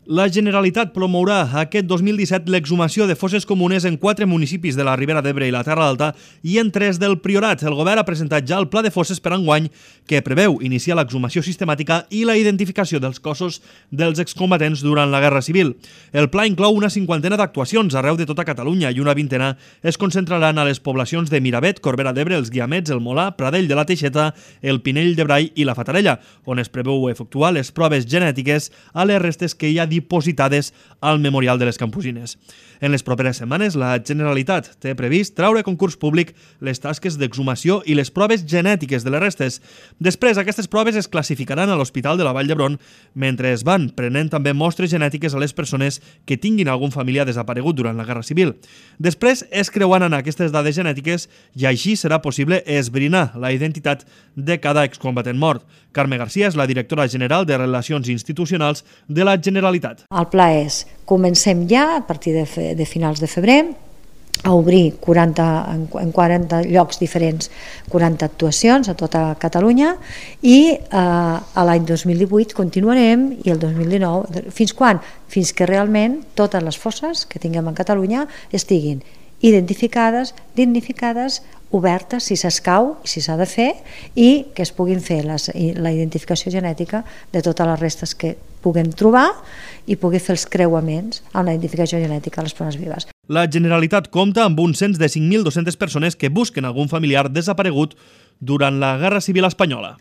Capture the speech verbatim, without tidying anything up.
La Generalitat promourà aquest dos mil disset l'exhumació de fosses comunes en quatre municipis de la Ribera d'Ebre i la Terra Alta i en tres del Priorat. El govern ha presentat ja el pla de fosses per enguany que preveu iniciar l'exhumació sistemàtica i la identificació dels cossos dels excombatents durant la Guerra Civil. El pla inclou una cinquantena d'actuacions arreu de tota Catalunya i una vintena es concentraran a les poblacions de Miravet, Corbera d'Ebre, els Guiamets, el Molà, Pradell de la Teixeta, el Pinell de Brai i la Fatarella, on es preveu efectuar les proves genètiques a les restes que hi ha dipositades al Memorial de les Campusines. En les properes setmanes, la Generalitat té previst traure a concurs públic les tasques d'exhumació i les proves genètiques de les restes. Després, aquestes proves es classificaran a l'Hospital de la Vall d'Hebron, mentre es van prenent també mostres genètiques a les persones que tinguin algun familiar desaparegut durant la Guerra Civil. Després es creuaran aquestes dades genètiques i així serà possible esbrinar la identitat de cada excombatent mort. Carme Garcia és la directora general de Relacions Institucionals de la Generalitat. El pla és, comencem ja a partir de, fe, de finals de febrer a obrir quaranta, en quaranta llocs diferents, quaranta actuacions a tota Catalunya i eh, a l'any dos mil divuit continuarem i el dos mil dinou, fins quan? Fins que realment totes les fosses que tinguem a Catalunya estiguin identificades, dignificades, obertes si s'escau i si s'ha de fer i que es puguin fer les, la identificació genètica de totes les restes que puguem trobar i pugui fer els creuaments amb la identificació genètica de les persones vives. La Generalitat compta amb un cens de cinc mil dos-centes persones que busquen algun familiar desaparegut durant la Guerra Civil espanyola.